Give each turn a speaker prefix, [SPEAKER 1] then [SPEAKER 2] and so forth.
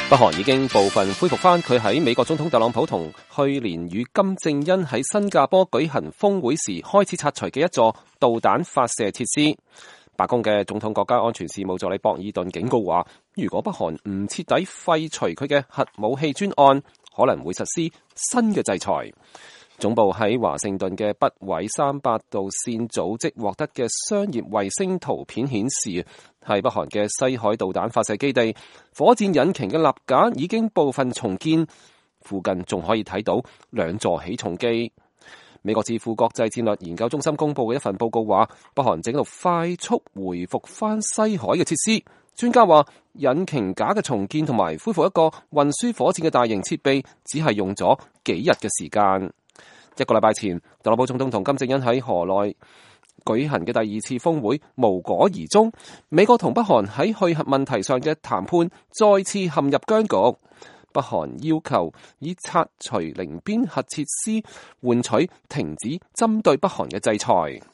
[SPEAKER 1] 北韓已經部分恢復翻佢喺美國總統特朗普同去年與金正恩喺新加坡舉行峰會時開始拆除嘅一座導彈發射設施。白宮嘅總統國家安全事務助理博爾頓警告話，如果北韓唔徹底廢除佢嘅核武器專案，可能會實施新嘅制裁。總部喺華盛頓嘅北緯38度線組織獲得嘅商業衛星圖片顯示，係北韓嘅西海導彈發射基地，火箭引擎嘅立架已經部分重建，附近仲可以睇到兩座起重機。美國智庫國際戰略研究中心公布嘅一份報告話，北韓正喺度快速回復翻西海嘅設施。專家話，引擎架嘅重建同埋恢復一個運輸火箭嘅大型設備，只係用咗幾日嘅時間。一個禮拜前，特朗普總統同金正恩喺河內舉行嘅第二次峰會無果而終，美國同北韓喺去核問題上嘅談判再次陷入僵局。北韓要求以拆除寧邊核設施換取停止針對北韓嘅制裁。